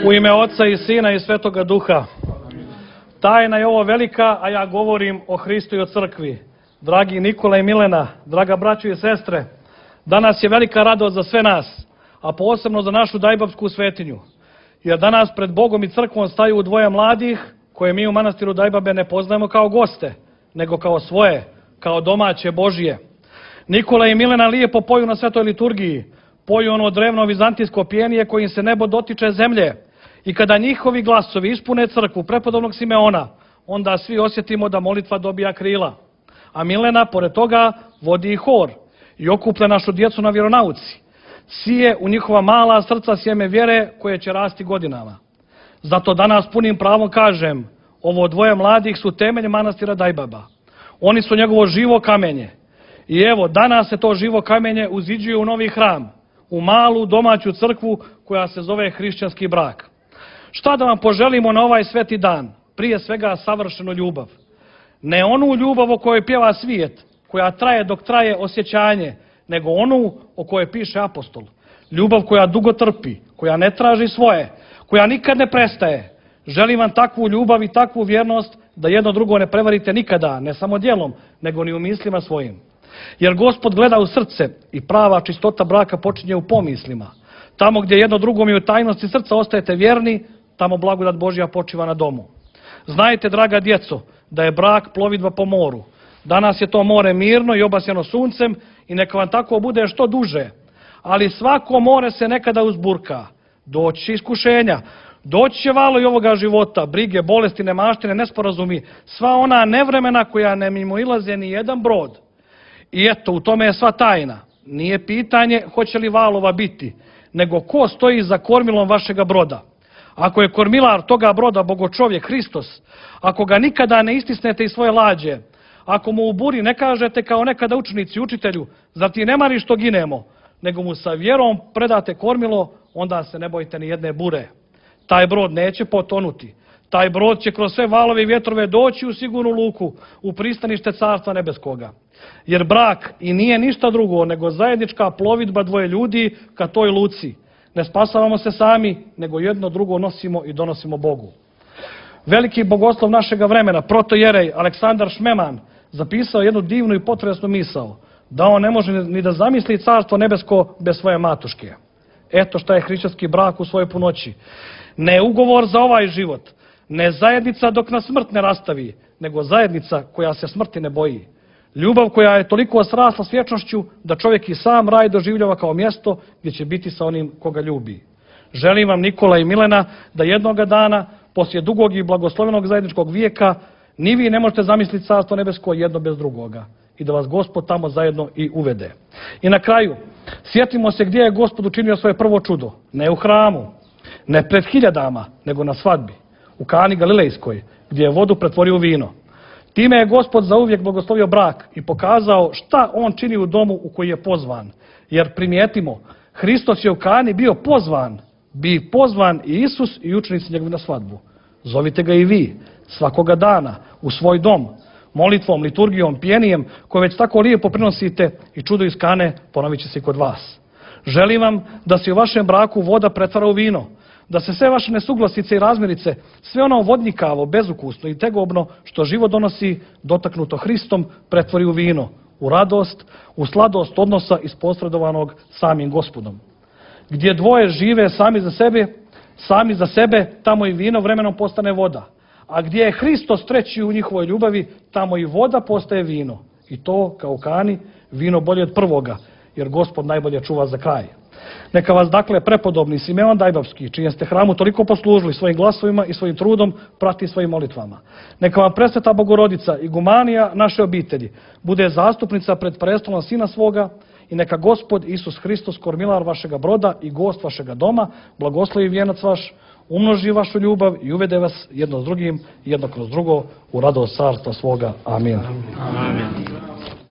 U ime Oca i Sina i Svetoga Duha. Tajna je ovo velika, a ja govorim o Hristu i o crkvi. Dragi Nikola i Milena, draga braćo i sestre, danas je velika radost za sve nas, a posebno za našu Dajbabsku svetinju. Jer danas pred Bogom i crkvom staju dvoje mladih, koje mi u manastiru Dajbabe ne poznajemo kao goste, nego kao svoje, kao domaće Božije. Nikola i Milena lijepo poju na svetoj liturgiji, poju ono drevno vizantijsko pjenije kojim se nebo dotiče zemlje. I kada njihovi glasovi ispune crkvu prepodobnog Simeona, onda svi osjetimo da molitva dobija krila. A Milena, pored toga, vodi i hor i okuplja našu djecu na vjeronauci. Sije u njihova mala srca sjeme vjere koje će rasti godinama. Zato danas punim pravom kažem, ovo dvoje mladih su temelj manastira Dajbaba. Oni su njegovo živo kamenje. I evo, danas se to živo kamenje uziđuje u novi hram, u malu domaću crkvu koja se zove hrišćanski brak. Šta da vam poželimo na ovaj sveti dan? Prije svega savršenu ljubav. Ne onu ljubav o kojoj pjeva svijet, koja traje dok traje osjećanje, nego onu o kojoj piše apostol. Ljubav koja dugo trpi, koja ne traži svoje, koja nikad ne prestaje. Želim vam takvu ljubav i takvu vjernost da jedno drugo ne prevarite nikada, ne samo djelom, nego ni u mislima svojim. Jer Gospod gleda u srce i prava čistota braka počinje u pomislima. Tamo gdje jedno drugom i u tajnosti srca ostajete vjerni, tamo blagodat Božja počiva na domu. Znajte, draga djeco, da je brak plovidba po moru. Danas je to more mirno i obasjano suncem i neka vam tako bude što duže. Ali svako more se nekada uzburka. Doći će iskušenja, doći će valo i ovoga života, brige, bolesti, nemaštine, nesporazumi, sva ona nevremena koja ne mimoilaze ni jedan brod. I eto, u tome je sva tajna. Nije pitanje hoće li valova biti, nego ko stoji za kormilom vašega broda. Ako je kormilar toga broda Bogočovjek Hristos, ako ga nikada ne istisnete iz svoje lađe, ako mu u buri ne kažete kao nekada učenici učitelju, zar ti ne mari što ginemo, nego mu sa vjerom predate kormilo, onda se ne bojite ni jedne bure. Taj brod neće potonuti. Taj brod će kroz sve valove i vjetrove doći u sigurnu luku, u pristanište Carstva nebeskoga. Jer brak i nije ništa drugo nego zajednička plovidba dvoje ljudi ka toj luci. Ne spasavamo se sami, nego jedno drugo nosimo i donosimo Bogu. Veliki bogoslov našega vremena, protojerej Aleksandar Šmeman, zapisao jednu divnu i potresnu misao, da on ne može ni da zamisli Carstvo nebesko bez svoje matuške. Eto šta je hrišćanski brak u svojoj punoći. Ne ugovor za ovaj život, ne zajednica dok nas smrt ne rastavi, nego zajednica koja se smrti ne boji. Ljubav koja je toliko srasla s vječnošću da čovjek i sam raj doživljava kao mjesto gdje će biti sa onim koga ljubi. Želim vam, Nikola i Milena, da jednoga dana, poslije dugog i blagoslovenog zajedničkog vijeka, ni vi ne možete zamisliti Carstvo nebesko jedno bez drugoga i da vas Gospod tamo zajedno i uvede. I na kraju, sjetimo se gdje je Gospod učinio svoje prvo čudo. Ne u hramu, ne pred hiljadama, nego na svadbi, u Kani Galilejskoj, gdje je vodu pretvorio u vino. Time je Gospod zauvijek blagoslovio brak i pokazao šta on čini u domu u koji je pozvan. Jer primijetimo, Hristos je u Kani bio pozvan, bi pozvan i Isus i učenici njegovi na svadbu. Zovite ga i vi, svakoga dana, u svoj dom, molitvom, liturgijom, pjenijem, koje već tako lijepo prinosite i čudo iz Kane ponovit će se i kod vas. Želim vam da se u vašem braku voda pretvara u vino, da se sve vaše nesuglasice i razmirice, sve ono vodnikavo, bezukusno i tegobno što život donosi, dotaknuto Hristom, pretvori u vino, u radost, u sladost odnosa isposredovanog samim Gospodom. Gdje dvoje žive sami za sebe, tamo i vino vremenom postane voda. A gdje je Hristos treći u njihovoj ljubavi, tamo i voda postaje vino. I to, kao u Kani, vino bolje od prvoga, jer Gospod najbolje čuva za kraj. Neka vas dakle prepodobni Simeon Dajbabski, čijem ste hramu toliko poslužili svojim glasovima i svojim trudom, prati svojim molitvama. Neka vam presveta Bogorodica, igumanija naše obitelji, bude zastupnica pred prestolom Sina svoga i neka Gospod Isus Hristos, kormilar vašega broda i gost vašega doma, blagoslovi vijenac vaš, umnoži vašu ljubav i uvede vas jedno s drugim, jedno kroz drugo u radost Carstva svoga. Amin. Amin.